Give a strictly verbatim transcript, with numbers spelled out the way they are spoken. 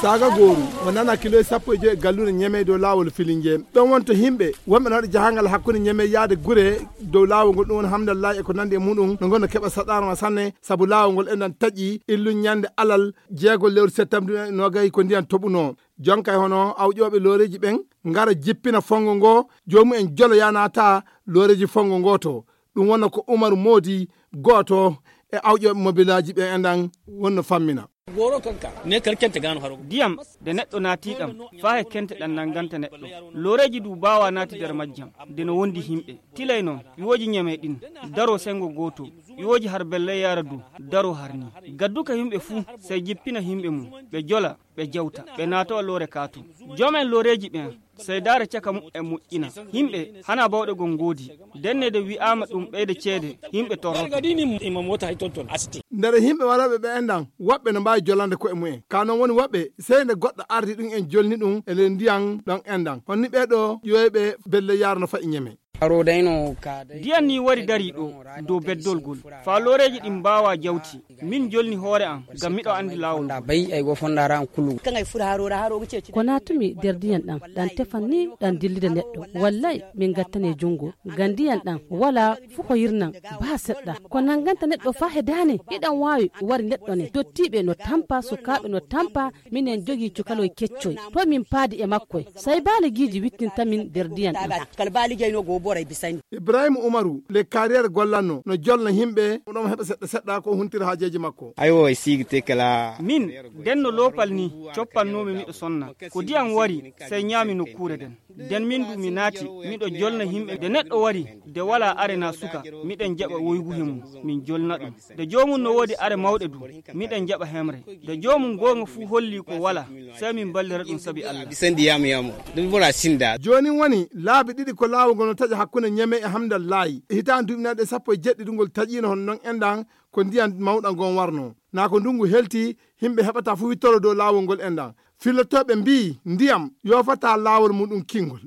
Saaga gooru mo nana kilo sappo e joyi e galluure Ñeme dow laawol Filinje. Ɗon wonto yimɓe wonɓe no waɗi jahangal hakkunde Ñeme yaade gure dow laawol ngol, ɗum woni Hamdallahi e ko nandi e muɗum, no ngonno keɓa saɗaarma sanne, sabu laawol ngol enɗan taƴi illu ñande alal jeego lewru septembre nogayi ko ndiyan toɓuno. Jonkay hono awƴooɓe looreeji ɓen ngara jippina fongo ngo, joomumen jolo yanata looreeji fongo ngo to. Ɗum wonno ko Umaru Moodi, gooto e awƴooɓe mobilaaji ɓen enɗan wonno fammina. Diyam de neɗɗo naati ɗam faa he kente ɗam nannganta neɗɗo. Looreeji du baawa naati nder majjam de no wondi himɓe. Tilay noon ƴiwooji Ñeme ɗin daro senngo gooto, ƴiwooji har Belle Yaara du daro har ni. Gadduka himɓe fuu sey jippina himɓe mum, ɓe jola, ɓe jawta, ɓe naatowa loore kaato. Joom en looreeji ɓen sey daara caka muɓɓen moƴƴina. Himɓe hana bawɗe gon ngoodi. Dennede wi'aama ɗum ɓeyda ceede, himɓe torroto. Nder himɓe warooɓe ɓe enɗan woɓɓe no mbaawi jolande ko'e mumen. Ka non woni woɓɓe sey nde goɗɗo ardi ɗum en jolni ɗum e nder ndiyan ɗon enɗan. Honni ɓee ɗoo ƴiwoyɓe Belle Yaara no fa'i Ñeme. Ndiyan ni wari darii ɗoo dow beddol gol faa looreeji ɗin mbaawaa jawti. Min jolni hoore am ngam miɗo anndi laawol ngol. Ko naatumi nder ndiyan ɗan ɗan tefan ni ɗan dillida neɗɗo. Wallay min gattane junngo ngam ndiyan ɗan walaa fuu ko yirnan baa seɗɗa. Ko nannganta neɗɗo faa he daane iɗan waawi wari neɗɗo ne. Dottiiɓe no tampa, sukaaɓe no tampa. Minen jogii cukaloy keccoy to min paadi e makkoy. Sey baaligiiji wittinta min nder ndiyan ɗan. Ibrahima Umaru le carrière gollanno no jolna himɓe ɗon heɓa seɗɗa seɗɗa ko huntira haajeeji makko. Aywa e siigi tekela. Min ndenno loopal ni coppannoomi miɗo sonna. Ko ndiyam wari sey ñaami nokkuure nden. Nden min du mi naati miɗo jolna himɓe. Nde neɗɗo wari nde walaa are naa suka, miɗen jaɓa woygu he mum min jolna ɗum. Nde joomum no woodi are mawɗe du, miɗen jaɓa hemre. Nde joomum goonga fuu holli ko walaa, sey min ballira ɗum sabi Allah. Bisan di yamu yamu. Ɗum bora sinda. Joonin woni laabi ɗiɗi ko laawol ngol no taƴa hakkunde Ñeme e Hamdallahi. E hitaande duuɓi nayi ɗe sappo e jeɗɗi ɗum ngol taƴiino hono non enɗan ko ndiyan mawɗan ngon warno. Naa ko ndungu helti, himɓe heɓata fuu wittoro dow laawol ngol enɗan. Fillotooɓe mbii ndiyam yoofataa laawol muɗum kingol.